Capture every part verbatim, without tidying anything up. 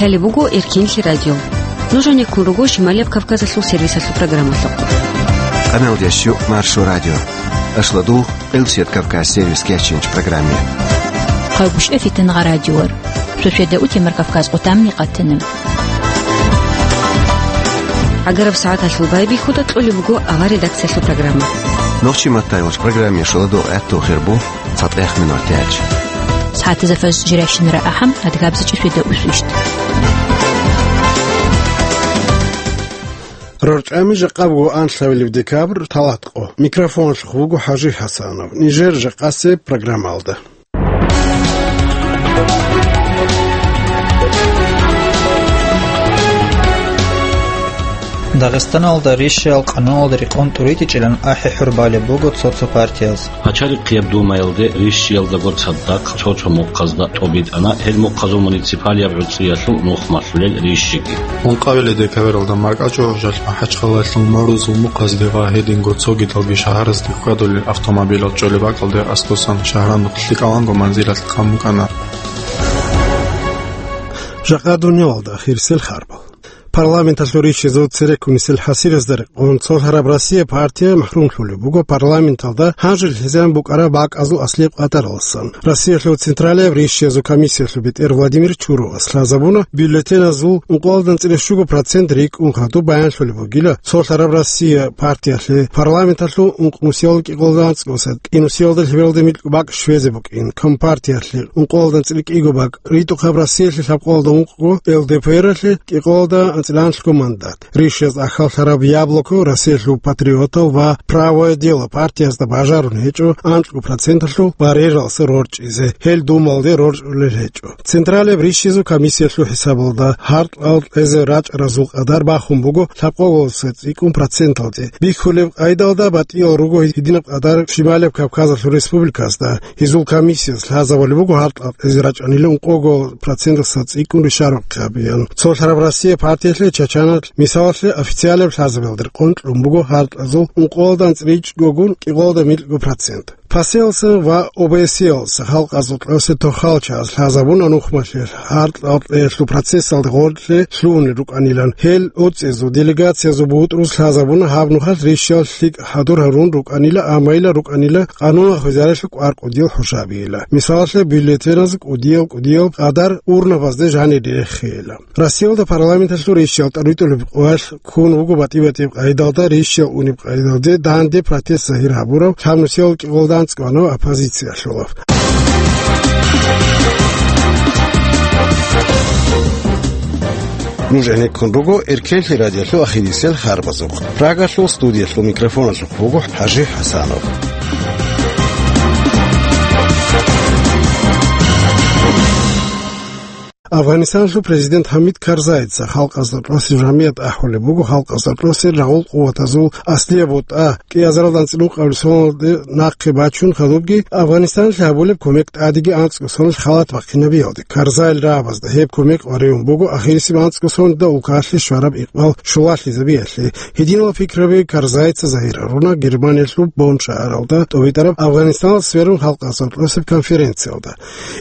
Лъалеб буго Эркенлъи радио. Нуж гьанеккун руго Шималияб Кавказалъул сервисалъул программалъухъ. Къаналдеш жо Маршо радио. Ашлад Къилчияд Кавказ сервис кечинч программе. Хъавбушев Фитангъа радиор. Суседа утемар Кавказ къутамни къатана. Агараб сагӀаталъул байбихьуда кьолеб буго авар редакциялъул программа. Нохчи маттайвач программе шуладо гӀатту хирбу цатӀех минут тяч. СагӀатазда фаз жиращинара ахӀам, адгабзичӀи суседа усвищт. РорчӀами жакъа буго анлъабилеб декабрь, талатӀкъо. Микрофоналъухъ буго ХӀажи ХӀасанов. Нижер жакъасеб программалда. Дагъистаналда рищаял къануналда рекъон тӀуритӀичӀилан ахӀи-хӀур балеб буго цо-цо партияз. Пачалихъияб Думаялде рищиялдаго цадахъ цо-цо мухъазда тӀобитӀана гьел мухъазул муниципалияб гӀуцӀиялъул нух малъулел рищиги. Ункъабилеб декабралда маркӀачӀу гьужалъ МахӀачхъалаялъул Морузул мухъазде ва гьединго цогидалги шагьаразде хьвадулел автомобилал чӀолеб бакӀалде аскӀосан шагьаралъухъ лъикӀаланго манзилалъ хъан букӀана. Жакъа дуниялалда ахирисел харбал. Парламенталъул рищезул цереккунисел хӀасиразда рекъон цолъараб Россия партия махрумлъулеб буго парламенталда гьанжел хӀезан букӀараб бакӀазул аслияб къадаралдасан. Россиялъул Централияб рищиязул комиссиялъул бетӀер Владимир Чуровас лъазабуна, бюллетеназул ункъоялда анцӀила щуго процент рикӀкӀун хадуб баянлъулеб бугила цолъараб Россия партиялъе парламенталъул ункънусиялда кӀикъоялда анцӀгоса кӀинусиялда лъебералда микьго бакӀ щвезе букӀин, Компартиялъе ункъоялда анцӀила кӀиго бакӀ, ритӀухъаб Россиялъе лъабкъоялда ункъго, ЛДПРалъе кӀикъоялда анцӀила анлъго мандат. Рищаз ахьаллъараб «Яблоко» Россиялъул патриотал ва «Правое дело» партиязда бажарун гьечӀо анкьго проценталъул барьералъа рорчӀизе, гьел Думалде рорчӀулел гьечӀо. Централияб рищизул комиссиялъул хӀисабалда гьаркьал кьезе рачӀаразул къадар бахун буго лъабкъоялдаса цӀикӀкӀун проценталде. Бихьулеб къайдалда батӀиял руго гьединаб къадар Шималияб Кавказалъул республиказда. Гьезул комиссияс лъазабулеб буго гьаркьал кьезе рачӀанила ункъого проценталдаса цӀикӀкӀун ришарухъе гьабеян. Цолъараб Россия партиялъе Чачаналъ, мисалалъе, официалаб лъазабиялда рекъон кьун буго гьаркьазул ункъоялда анцӀила ичӀгогун кӀикъоялда микьго процент. ПАСЕялдасан ва ОБСЕялдаса халкъазул кьосе тохал чагӀаз лъазабуна нухмалъе гьаркьал кьеялъул процессалда гъорлъе лъугьунел рукӀанилан. Гьел оцӀизул делегациязул бутӀрус лъазабуна гьаб нухалъ рищал лъикӀ хӀадур гьарун рукӀанила, амайила рукӀанила къануналъ хвезарелъул кӀвар-кӀудиял хӀушабийила. Мисалалъе, бюллетеназ кӀудиял-кӀудиял къадар урнабазде жанире реххейила. Россиялда парламенталъул рищал тӀуритӀулеб къоялъ ккун вуго батӀи-батӀияб къайдалда рищал унеб къайдалде данде протест загьир гьабурав лъабнусиял кӀикъоялда анцӀго ванав оппозициялъулав. Нуж гӀенеккун руго Эркенлъи радиолъул ахирисел харбазухъ. Прагалъул студиялъул микрофоналъухъ буго ХӀажи ХӀасанов. Афганистаналъул президент Хамид Карзайица халкъазда кьосе жамият ахӀулеб буго халкъазда кьосе рагъул къуватазул аслияб бутӀа кӀиазаралда анцӀила ункъабилеб соналде нахъе бачун хадубги Афганистаналъе гьабулеб кумек тӀадеги анцӀго соналъ халат бахъинабиялде. Карзайил рагӀабазда гьеб кумек гьаривун буго ахирисеб анцӀго соналда улкаялъе щвараб икъбал щулалъизабиялъе. Гьединал пикраби Карзайица загьир гьаруна Германиялъул Бонн шагьаралда тӀобитӀараб Афганистаналъ сверун халкъазда кьосеб конференциялда.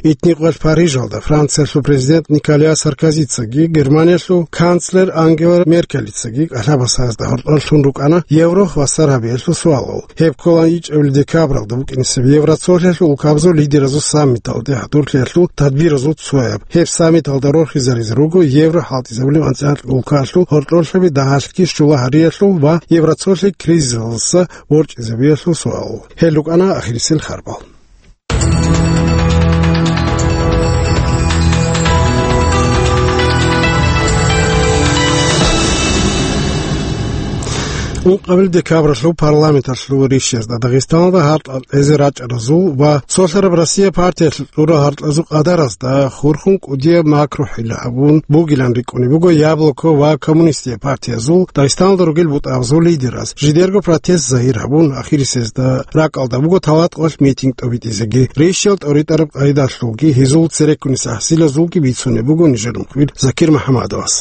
Итни къоялъ Парижалда Франциялъул президент Николя Саркозицаги Германиялъул канцлер Ангела Меркелицаги кӀалъабасазда гьоркьор лъун рукӀана Евро хвасар гьабиялъул суалал. Гьеб ккола ичӀабилеб декабралда букӀинесеб Евроцолъиялъул улкабазул лидеразул саммиталде хӀадурлъиялъул тадбиразул цояб. Гьеб саммиталда рорхизаризе руго Евро хӀалтӀизабулеб анцӀила улкаялъул гьоркьорлъаби дагьалъги щула гьариялъул ва Евроцолъи кризисалдаса ворчӀизабиялъул суал. Гьел рукӀана ахирисел харбал. Ункъабил декабралъул парламенталъул рищезда Дагъистаналда гьаркьал кьезе рачӀаразул ва цолъараб Россия партиялъул тӀура гьаркьазул къадаразда хурхун кӀудияб макрухӀил гьабун бугилан рикӀкӀунеб буго Яблоко ва Коммунистия партиязул Дагъистаналда ругел бутӀабазул лидераз. Жидерго протест загьир гьабун, ахирисезда ракӀалда буго талатӀкъоялъ митинг тӀобитӀизеги. Рищал тӀоритӀараб къайдалъулги гьезул цереккунес гӀахьсилазулги бицунеб буго нижер мухбир Закир МухӀамадовас.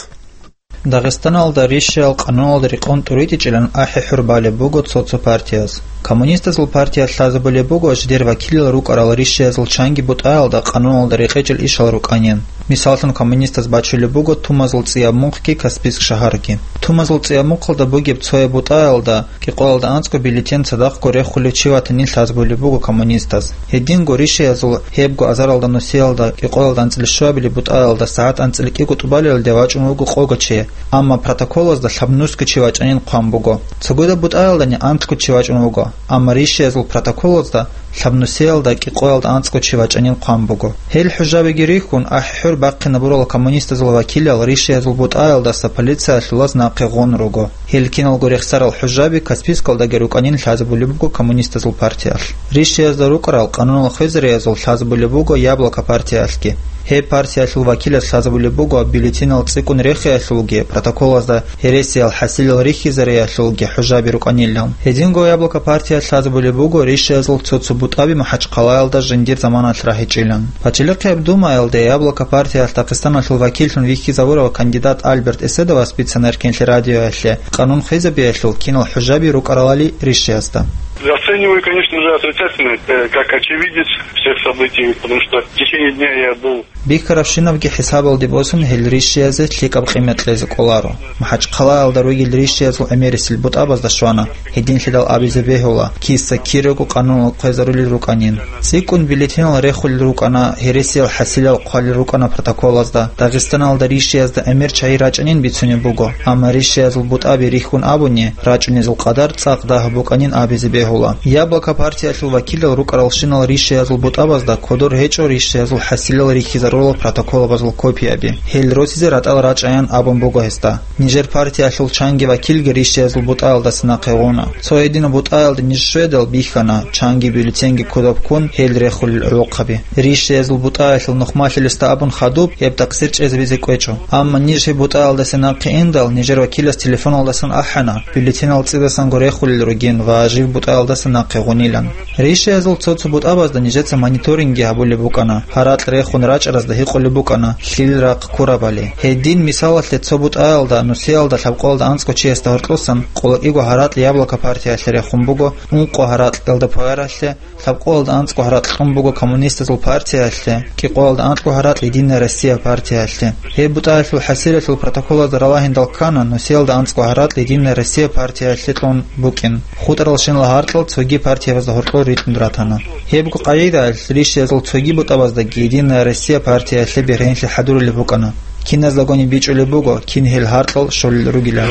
Дагъистаналда рищал къануналда рекъон тӀуритӀичӀилан ахӀи-хӀур балеб буго цо-цо партияз. Коммунистазул партиялъ лъазабулеб буго жидер вакилал рукӀарал ришиязул чанги бутӀаялда къануналда рекъечӀел ишал рукӀанин. Мисаллъун, коммунистаз бачулеб буго тумазул цӀияб мухъги Каспийск шагьарги. Тумазул цӀияб мухъалда бугеб цояб бутӀаялда кӀикъоялда анцӀго бюллетень цадахъго рехулев чи ватанин лъазабулеб буго коммунистаз. Гьединго ришиязул гьебго азаралда нусиялда кӀикъоялда анцӀила щуабилеб бутӀаялда сагӀат анцӀила кӀиго тӀубалелде вачӀун вуго къого чи, амма протоколазда лъабнусго чи вачӀанин хъван буго. Цогидаб бутӀаялдани анлъго чи вачӀун вуго, амма ришиязул протоколазда лъабнусиялда кӀикъоялда анцӀго чи вачӀанин хъван буго. Гьел хӀужабиги рихьун, ахӀи-хӀур бахъинабурал коммунистазул вакилал ришиязул бутӀаялдаса полициялъулаз нахъе гъун руго. Гьел киналго рехсарал хӀужаби Каспийскалдаги рукӀанин лъазабулеб буго коммунистазул партиялъ. Ришиязда рукӀарал къанунал хвезариязул лъазабулеб буго Яблоко партиялъги. Гьеб партиялъул вакилас лъазабулеб буго бюллетенал цӀикӀкӀун рехиялъулги, протоколазда гьересиял хӀасилал рихьизариялъулги хӀужаби рукӀанилан. Гьединго Яблоко партиялъ лъазабулеб буго ришиязул цо-цо бутӀаби МахӀачхъалаялда жиндир заманалъ рагьичӀилан. Пачалихъияб Думаялде Яблоко партиялъ Дагъистаналъул вакиллъун вихьизавурав кандидат Альберт Эседовас бицана Эркенлъи радиоялъе къанун хвезабиялъул кинал хӀужаби рукӀаралали ришиязда. Оцениваю, конечно же, отрицательно, э, как очевидец всех событий, потому что в течение дня я был Бихьарабщинабги хӀисабалде босун, гьел ришиязе лъикӀаб къимат кьезе кӀоларо. МахӀачхъалаялда ругел ришиязул гӀемерисел бутӀабазда щвана, гьединлъидал абизе бегьула, киса кирего къанунал хвезарулел рукӀанин. ЦӀикӀкӀун бюллетенал рехулел рукӀана, гьересиял хӀасилал хъвалел рукӀана протоколазда, Дагъистаналда ришиязда гӀемер чагӀи рачӀанин бицунеб буго, амма ришиязул бутӀаби рихьун абуни, рачӀунезул къадар цӀакъ дагь букӀанин абизе бегьула. Яблоко партиялъул вакилал рукӀаралщинал ришиязул бутӀабазда кодор гьечӀо ришиязул хӀасилал рихьизарурал протоколабазул копияби. Гьел росизе ратӀал рачӀаян абун буго гьесда. Нижер партиялъул чанги вакилги ришиязул бутӀаялдаса нахъе гъуна. Цо гьединаб бутӀаялда ниж щведал бихьана, чанги бюллетенги кодоб ккун гьел рехулел гӀолохъаби. Ришиязул бутӀаялъул нухмалъилесда абун хадуб, гьеб такъсир чӀезабизе кӀвечӀо. Амма ниж гьеб бутӀаялдаса нахъе индал, нижер вакилас телефоналдасан ахӀана, бюллетенал цӀидасанго рехулел ругин ва жив бутӀаялдаса нахъе гъунилан. Ришиязул цо-цо бутӀабазда нижеца мониторингги гьабулеб букӀана, гьаракь рехун рачӀаразда гьикъулеб букӀана лъил рахъ ккурабали. Гьедин, мисалалъе, цо бутӀаялда нусиялда лъабкъоялда анцӀго чиясда гьоркьосан къолокӀиго гьаракь Яблоко партиялъе рехун буго, ункъо гьаракь ЛДПРалъе, лъабкъоялда анцӀго гьаракь кьун буго коммунистазул партиялъе, кӀикъоялда анкьго гьаракь Единая Россия партиялъе. Гьеб бутӀаялъул хӀасилалъул протоколазда ралагьиндал ккана, нусиялда анцӀго гьаракь Единая Россия партиялъе кьун букӀин. ХутӀаралщинал гьаркьал цоги партиябазда гьоркьор ритӀун ратана. Гьебго къагӀидаялъ ришиязул цоги бутӀабаздаги Единая Россия партиялъе бергьенлъи хӀадурулеб букӀана. Киназда гониб бичӀчӀулеб буго, кин гьел гьаркьал щолел ругилан.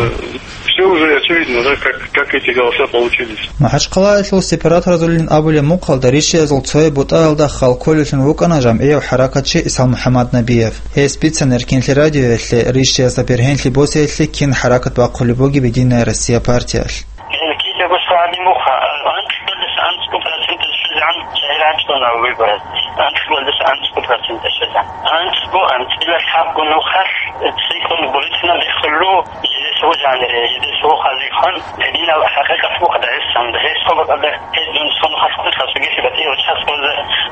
Всё уже очевидно, да, как, как эти голоса получились. МахӀачхъалаялъул сепараторазулин абулеб мухъалда ришиязул цояб бутӀаялда хал кколевлъун вукӀана жамгӀияв хӀаракатчи Исал МухӀаммад Набиев. Гьес бицана Эркенлъи радиоялъе ришиязда бергьенлъи босиялъе кин хӀаракат бахъулеб бугеб Единая Россия партиялъ. Гьел кидаго сагӀади муха, анкьалдаса анцӀго проценталъ щвезегӀан чагӀи рачӀуна выбораз. Анкьалдаса анцӀго проценталъ щвезегӀан. АнцӀго, анцӀила лъабго нухалъ цӀикӀкӀун бюллетенал рехулел руго, жидесго жанире, жидесго хазихъан, гьединал хӀакъикъат буго Дагъистанда. Гьеб сабабалда гьедин цо нухалъ ккун хасугеси батӀи ва час боза,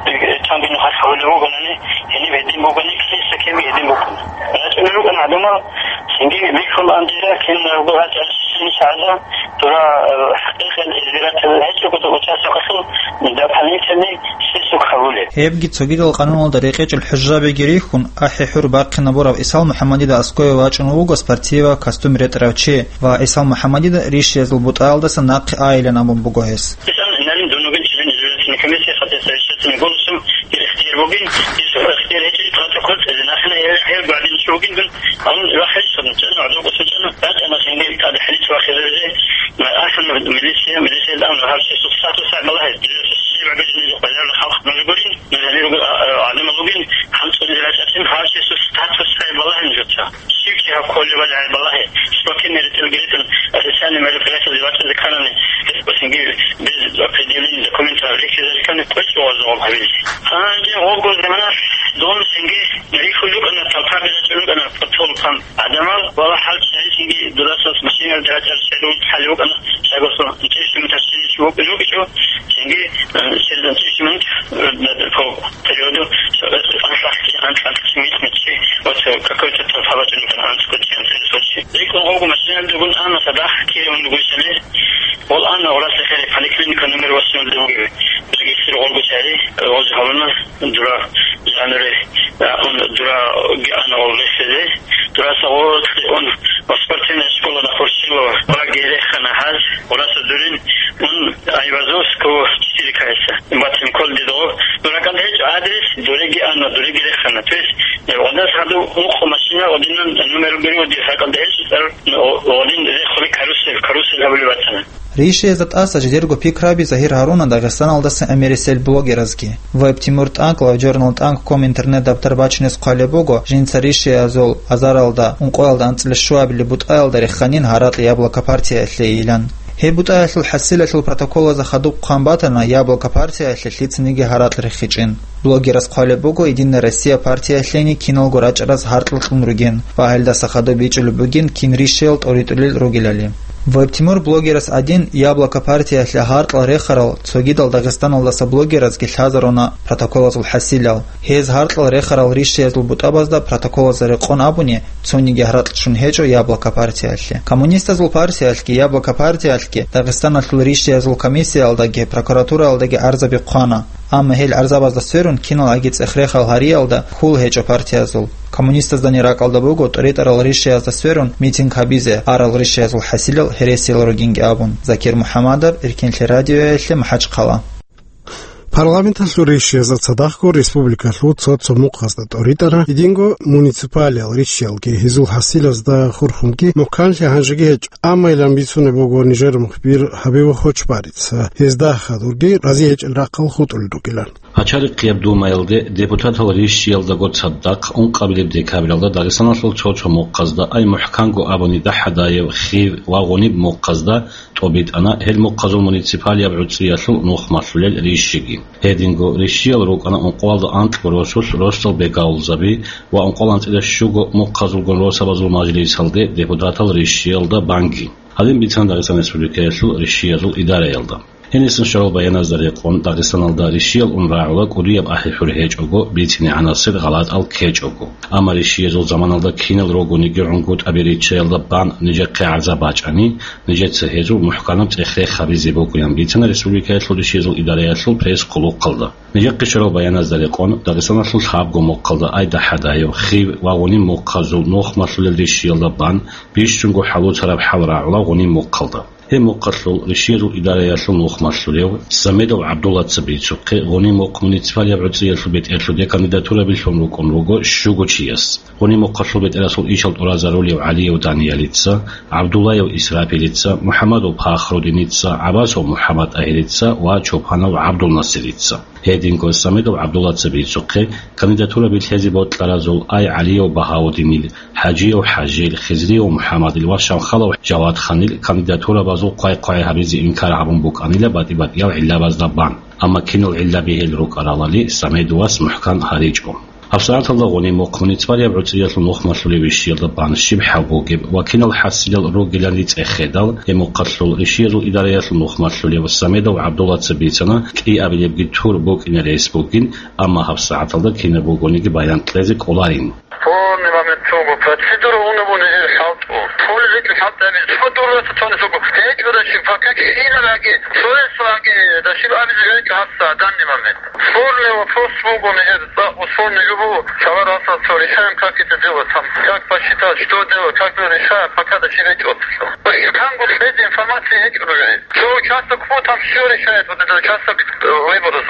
э, цонги нухалъ гьавулев вугони, гьениб гьедин бугони, киса ккеби гьедин букӀуна. РачӀунел рукӀана гӀадамал, цинги бихьулаан дира, кин рагьбу гьачӀа шин шагьаза, дура, э, хӀакъикъат избиратель гьечӀого участокалъул дополнительный список гьавулеб. Гьебги цогидал къануналда рекъечӀел хӀужабиги рихьун, ахӀи-хӀур бахъинабурав Исал МухӀаммадида аскӀове вачӀун вуго спортивый костюм ретӀарав чи ва Исал МухӀаммадида ришиязул бутӀаялдаса нахъе айилан абун буго гьес. Исал Налим дун вугин член избирательной комиссии, хотя совещательный голосом дир ихтияр бугин, дир ихтияр гьечӀин протокол цӀезе нахана гьев, гьев гвардиячи вугин дун, гьанун вахӀал чӀун, чӀун, гӀодов кӀусун чӀун, рачӀана цинги тӀад хӀалич вахизаризе, ахӀун милиция, милиция дан гьав чиясул статус гьаб балагье, дир щиб гьабилин базаралда халкъ нуж гурин, нуж гьанир руго, а, а, гӀадамал ругин, хӀанцӀунизе рачӀарцин гьав чиясул статус гьаб балагье нужеца. Щив чи гьав кколебали гьаб балагье, спортивный ретӀел гьечӀун, официальный мероприятиялде вачӀизе кканани, гьес босинги без определения документов рихьизари ккани, кӀвечӀо гьезул гьабизе. Гьанже гьобго замана дун цинги рихьулел рукӀана, толпа бирачӀун рукӀана, подпольный гӀадамал, вала хӀал чӀезегӀан цинги дурасас машиналда рачӀарал чагӀи хӀалев вукӀана, чагасул интеллигент машиналъ вукӀине вукӀичӀо, цинги, э, через интеллигент, э, по периоду, э, анлъахъги, анлъ-анлъ цинги мит-митги, вот, э, какой-то толпа бачӀун рукӀана, анцӀго чи, анцӀила чи. РикӀкӀун гьобго машиналда гун ана, цадахъ кире ун ругони, Гъол ана гъураса хири поликлиника номер восемь бугеб. Регистр гъолго чари, гъоз гьалуна дура жануре, а, ун дура ана гъол рехсезе. Дураса гъол ун во спортивная школа на Хуршилова. Гъураги рехана гьаз, гъураса дурин ун Айвазовского четыре кайса. Батин кол дидо. Дуракал гьечӀо адрес, дуреги ана, дуреги рехана. То есть, э, гъодас гьадув ункъо машина, гъодинан номер гури, гъоди ракал гьечӀо цӀар, гъодин рехули карусель, карусель гьабули батана. Ришиязда тӀаса жидерго пикраби загьир гьаруна Дагъистаналдаса гӀемерисел блогеразги. Веб Тимур ТӀанкӀ ва Журнал ТӀанкӀ ком интернет-дабтар бачинес хъвалеб буго, жинца ришиязул азаралда, ункъоялда анцӀила щуабили бутӀаялда реханин гьаракь Яблоко партиялъейилан. Гьеб бутӀаялъул хӀасилалъул протоколазда хадуб хъван батана Яблоко партиялъе лъицаниги гьаракь рехичӀин. Блогерас хъвалеб буго Единая Россия партиялъейин киналго рачӀараз гьаркьлъун ругин ва гьелдаса хадуб бичӀчӀулеб бугин кин ришиял тӀоритӀулел ругелали. Веб Тимур блогерас гӀадин Яблоко партиялъе гьаркьал рехарал цогидал Дагъистаналдаса блогеразги лъазаруна протоколазул хӀасилал. Гьез гьаркьал рехарал ришиязул бутӀабазда протоколазда рекъон абуни, цониги гьаракь чӀун гьечӀо Яблоко партиялъе. Коммунистазул партиялъги, Яблоко партиялъги Дагъистаналъул ришиязул комиссиялдаги прокуратуралдаги гӀарзаби хъвана. Амма гьел гӀарзабазда сверун киналгӀаги цӀех-рехал гьариялда хьул гьечӀо партиязул. Коммунистаздани ракӀалда буго тӀоритӀарал ришиязда сверун митинг гьабизе арал ришиязул хӀасилал гьересиял ругинги абун. Закир МухӀамадов, Эркинлъи радиоялъе, МахӀачхъала. Парламенталъул ришиязда цадахъго республикалъул цо-цо мухъазда тӀоритӀана, гьединго муниципалиял ришиялги гьезул хӀасилазда хурхунги мухӀканлъи гьанжеги гьечӀо, амма илан бицунеб буго нижер мухбир Гьабиб Хочбарица, гьезда хадурги рази гьечӀел рахъал хутӀулел ругилан. Пачарихъияб Думаялде депутатал ришиялдаго цадахъ ункъабилеб декабралда Дагъистаналъул цо-цо мухъазда, ай мухӀканго абуни ДахӀадаев, Хив ва Гъуниб мухъазда тӀобитӀана гьел мухъазул муниципалияб гӀуцӀиялъул нухмалъулел ришиги. Гьединго ришиял рукӀана ункъоялда анкьго росулъ росдал бегалзаби ва ункъоялда анцӀила щуго мухъазулгун росабазул мажлисалде депутатал ришиялда банги. Гьадин бицана Дагъистан Республикаялъул ришиязул идараялда. Гьенисан щварал баяназда рекъон, Дагъистаналда ришиял ун рагӀула кӀудияб ахӀи-хӀур гьечӀого, бицинегӀанасел гъалатӀал ккечӀого. Амма ришиязул заманалда кинал ругониги гӀунгутӀаби риччаялда бан нижехъе гӀарза бачӀани, нижеца гьезул мухӀканаб цӀех-рех гьабизе бугоян бицана республикаялъул ришиязул идараялъул пресс-хъулухъалда. Нижехъе щварал баяназда рекъон, Дагъистаналъул лъабго мухъалда, ай ДахӀадаев, Хив ва Гъуниб мухъазул нухмалъулел ришиялда бан бищунго хӀалуцараб хӀал рагӀула Гъуниб мухъалда. Гьеб мухъалъул ришиязул идараялъул нухмалъулев Самедов ГӀабдуллаца бицухъе, Гъуниб мухъ муниципалияб гӀуцӀиялъул бетӀерлъуде кандидатураби лъун рукӀун руго щуго чияс. Гъуниб мухъалъул бетӀерасул ишал тӀуразарулев ГӀалиев Даниялица, ГӀабдуллаев Исрапилица, МухӀамадов Пахрудиница, ГӀабасов МухӀаммад-ТӀагьирица ва Чопанов ГӀабдулнасирица. Гьединго Самедов ГӀабдуллаца бицухъе, кандидатураби лъезе бокьаразул ай ГӀалиев Багьаудинил, ХӀажиев ХӀажил, Хизриев МухӀаммадил ва Шамхалов Жавадханил кандидатурабазул хъвай-хъвай гьабизе инкар гьабун букӀанила батӀи-батӀиял гӀиллабазда бан. Амма кинал гӀиллаби гьел рукӀаралали, Самедовас мухӀкан гьаричӀо. ГьабсагӀаталда Гъуниб мухъ муниципалияб гӀуцӀиялъул нухмалъулев ришиялда бан щиб хӀал бугеб ва кинал хӀасилал ругилан рицӀехъедал, гьеб мухъалъул ришиязул идараялъул нухмалъулев Самедов ГӀабдуллаца бицана, кӀиабилебги тур букӀине рес бугин, амма гьабсагӀаталда кинаб бугониги баян кьезе кӀоларин. Спорный момент цого процедура унабуна гьел хӀалтӀу. Цолеб гьечӀо хӀалтӀаби, цо дурраса цони цого. ГьечӀо даши, пока кхьинараги, цоясаги, даши абизе гьечӀо гьабсагӀат данный момент. Спорный вопрос буго, мегьер, да, спорный любого, чавар асал цо решаем, как это делать там, как посчитать, что делать, как это решать, пока до чего идёт. Кангут эти информации эти уже. Что участок, кто там всё решает, вот этот участок, э, выборов.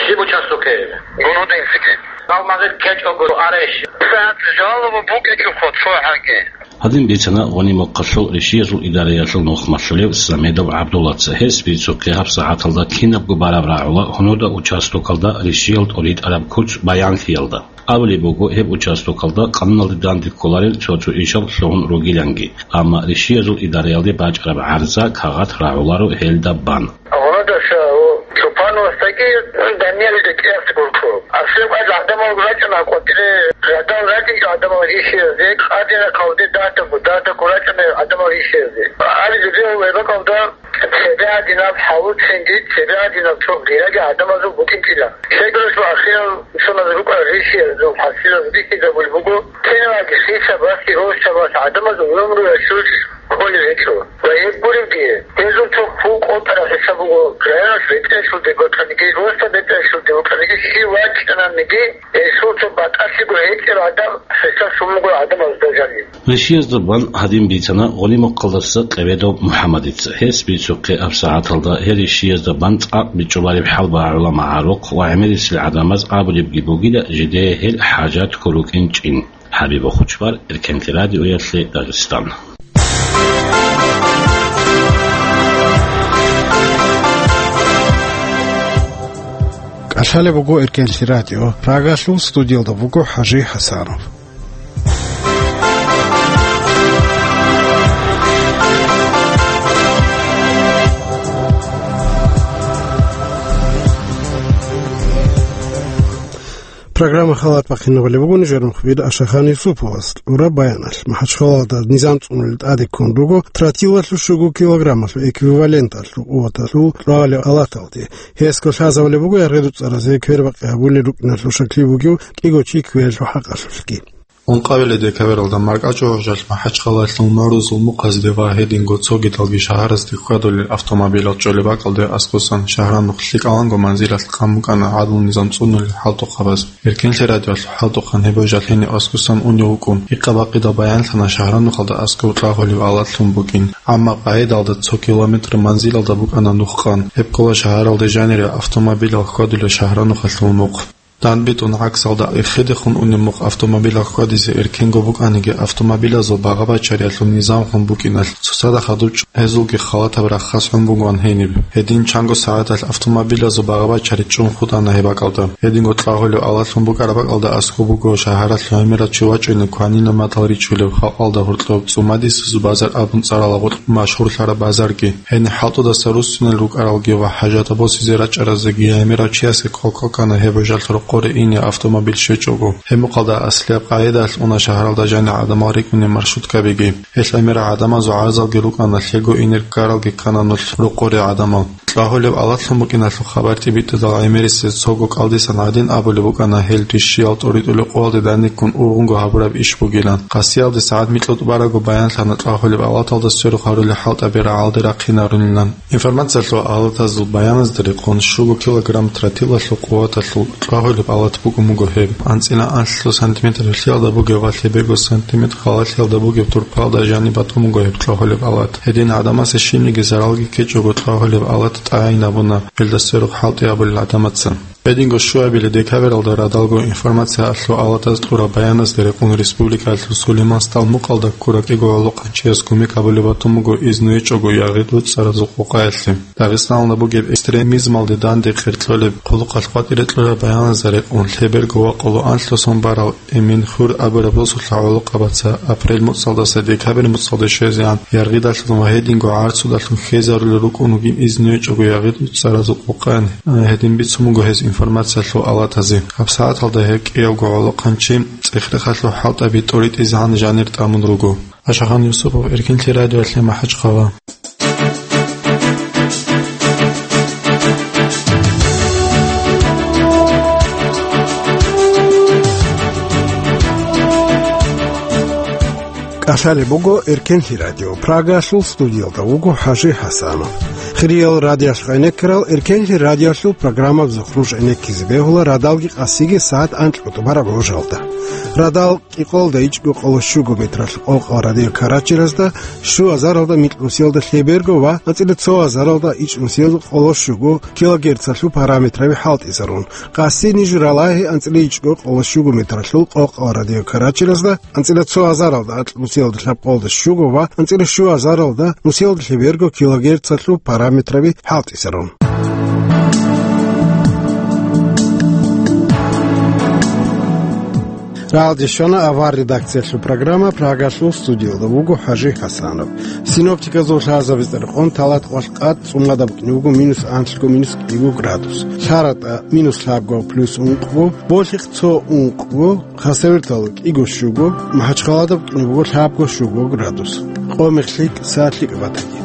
Сиб участок, э, Гунудинский. Алмагъир кечӀого ареш. Саат жалоба букӀечӀо хо, цо гьаги. Гьадин бицана Гъуниб мухъалъул ришиязул идараялъул нухмалъулев Самедов ГӀабдуллаца. Гьес бицухъе гьабсагӀаталда кинабго бараб рагӀула гьунуда участокалда ришиял тӀоритӀараб куц баянлъиялда. Абулеб буго, гьеб участокалда къануналде данде кколарел цо-цо ишал лъугьун ругиланги, амма ришиязул идараялде бачӀараб гӀарза кагъат рагӀуларо гьелда бан. Гьунадаша Чопановасдаги Даниялида кӀиас гурхъу. Аслу гӀадамал рачӀана къватӀире, гӀадал рачӀинчӀо гӀадамал ришиязде, къадина калде датаго, датаго рачӀана гӀадамал ришиязде. Али жибе вебакалда цебе гьадинаб хӀалуцинги, цебе гьадинаб цо гъираги гӀадамазул букӀинчӀила. Щайгурелъул ахирал соназ рукӀа ришиязул хӀасилаз бихьизабулеб буго, киналаги хисабалъ, росабалъ гӀадамазул гӀумруялъулъ кколел гьечӀо. Ва гьеб гуребги, гьезул цо хьул къотӀараб хӀисаб буго, районалъ бетӀерлъунде букӀаниги, росда бетӀерлъунде букӀаниги, щив вачӀананиги, гьелъул цо батӀалъиго гьечӀеб гӀадаб хӀисаб лъун буго гӀадамазда жаниб. Ришиязда бан гьадин бицана гъолимахъалдаса Къебедов МухӀаммадица. Гьес бицухъе абсагӀаталда гьел ришиязда бан цӀакъ бичӀчӀулареб хӀалбагӀула магӀарухъ ва гӀемерисел гӀадамаз абулебги бугила жидее гьел хӀажат ккурукӀин чӀин. ХӀабиб Хучбар, Эркенлъи радиоялъе Дагъистан. КӀалъалеб буго Эркенлъи радио, Прагалъул студиялда буго ХӀажи ХӀасанов. Программа халат бахъинабали бугони, жер мухбир Ашахан Юсуповас кьураб баяналъ. МахӀачхъалалда низам цӀунулел тӀаде ккун руго тротилалъул щуго килограммалъул эквиваленталъул къуваталъул кьвагьалев алаталде. Гьесго лъазабулеб буго яргъи-дуцӀаразе квербакъи гьабулел рукӀиналъул шаклъи бугев кӀиго чи квералъул хӀакъалъулъги. Ункъабилеб декабралда маркӀачӀул гӀужалъ МахӀачхъалалъул нурузул мухъазде ва гьединго цогидалги шагьарасде хьвадулел автомобилал чӀолеб бакӀалде аскӀосан шагьранухъ лъикӀаланго манзилалъ къан букӀана гӀадлу-низам цӀунулел хӀалтӀухъабаз. Эркенлъи радиоялъул хӀалтӀухъан гьеб гӀужалъ гьениб аскӀосан унев вукӀун, гьикъа-бакъида баянлъана шагьранухъалда аскӀов кьвагьулев алат лъун букӀин, амма къагӀидалда цо километр манзилалда букӀана нух къан. Гьеб ккола шагьаралде жанире автомобилал хьвадулел шагьранухъалъул мухъ. ДандбитӀун гӀаксалда эхедехун унеб мухъ автомобилал хьвадизе эркенго букӀаниги, автомобилазул багъа-бачариялъул низамлъун букӀиналъ цоцазда хадуб чӀун гьезулги халатаб рахъалъ гьун бугоан гьениб. Гьедин чанго сагӀаталъ автомобилазул багъа-бачари чӀун хутӀана гьеб бакӀалда. Гьединго кьвагьулев алатлъун букӀараб бакӀалда аскӀоб буго шагьаралъ гӀемерал чи вачӀунеб кванинаб матал ричулев, халкъалда гьоркьоб цӀумадисезул базар абун цӀарала гъоркь машгьурлъараб базарги. Гьениб хӀалтӀудаса руссунел рукӀаралги ва хӀажатал босизе рачӀаразеги гӀемерав чиясе кӀал ккана гьеб гӀужалъ рокъоре ине автомобиль щвечӀого. Гьеб мухъалда аслияб къагӀидалъ уна шагьаралда жанир гӀадамал рикӀкӀунел маршруткабиги. Гьелъ гӀемерал гӀадамазул гӀарзалги рукӀана, лъего инер ккаралги ккана нулъ рокъоре гӀадамал. Кьвагьулев алатлъун букӀиналъул хабар тӀибитӀизал гӀемерисез цого кӀалдисан гьадин абулеб букӀана гьел ришиял тӀоритӀулеб къоялде даниккун ургъунго гьабураб иш бугилан. Къасиялде сагӀат микьутӀ бараго баянлъана кьвагьулеб алаталда сверухъ гьарулел хӀалтӀаби рагӀалде рахъинарунилан. Информациялъул алатазул баяназда рекъон, щуго килограмм тротилалъул къуваталъул кьвагьулеб алат букӀун буго гьеб. АнцӀила анлъго сантиметр гьелъиялда бугеб ва лъеберго сантиметр халалъиялда бугеб турпалда жаниб батун буго гьеб кьвагьулеб алат. Гьедин гӀадамасе щибниги заралги ккечӀого кьвагьулеб алат тӀагӀинабуна, гьелда сверухъ хӀалтӀи абулел гӀадамаца. Гьединго щуабилеб декабралда радалго информациялъул алатаз кьураб баяназда рекъон республикалъул Сулейман СтӀал мукъалда ккурав кӀиго гӀолохъанчияс кумек гьабулеб батун буго изну гьечӀого яргъи-дуцӀаразул къокъаялъе. Дагъистаналда бугеб экстремизмалде данде хъеркьолеб хъулухъалъ къватӀире кьураб баяназда рекъон, лъеберго ва къоло анлъго сон барал Эминхур абураб росулъа гӀолохъабаца апрель муцӀалдаса декабрь муцӀалде щвезегӀан яргъидалъун ва гьединго гӀарцудалъун хьезарулел рукӀун вугин изну гьечӀого яргъи-дуцӀаразул къокъаялъе. Гьедин бицун буго гьез информациялъул алатазе. ГьабсагӀаталда гьеб кӀиявго гӀолохъанчи цӀех-рехалъул хӀалтӀаби тӀоритӀизегӀан жанир тӀамун руго. Ашахан Юсупов, Эркенлъи радиоялъе, МахӀачхъала. КӀалъалеб буго Эркенлъи радио. Прагалъул студиялда вуго ХӀажи ХӀасанов. Хириял радиоялъ гӀенеккарал, Эркенлъи радиоялъул программабазухъ нуж гӀенеккизе бегьула радалги къасиги сагӀат анкьго тӀубараб гӀужалда. Радал кӀикъоялда ичӀго къоло щуго метралъул къокъал радио Карачиразда, щуазаралда микьнусиялда лъеберго ва анцӀила цоазаралда ичӀнусиялда къоло щуго килогерцалъул параметраби хӀалтӀизарун, къаси ниж ралагьи анцӀила ичӀго къоло щуго метралъул къокъал радио Карачиразда, анцӀила цоазаралда акьнусиялда лъабкъоялда щуго ва анцӀила щуазаралда нусиялда лъеберго килогерцалъул параметраби хӀалтӀизарун. Рагъалде щвана авар редакциялъул программа, Прагалъул студиялда вуго ХӀажи ХӀасанов. Синоптиказул лъазабиз рекъон, Талаткъоялъ къад цӀумадаб букӀине буго минус анлъго, минус кӀиго градус, ЛъаратӀа минус лъабго плюс ункъго, Болъихъ цо ункъго, Хасавюрталда кӀиго щуго, МахӀачхъаладаб букӀине буго лъабго щуго градус. Къо-мех лъикӀ, сагӀат лъикӀаб батаги.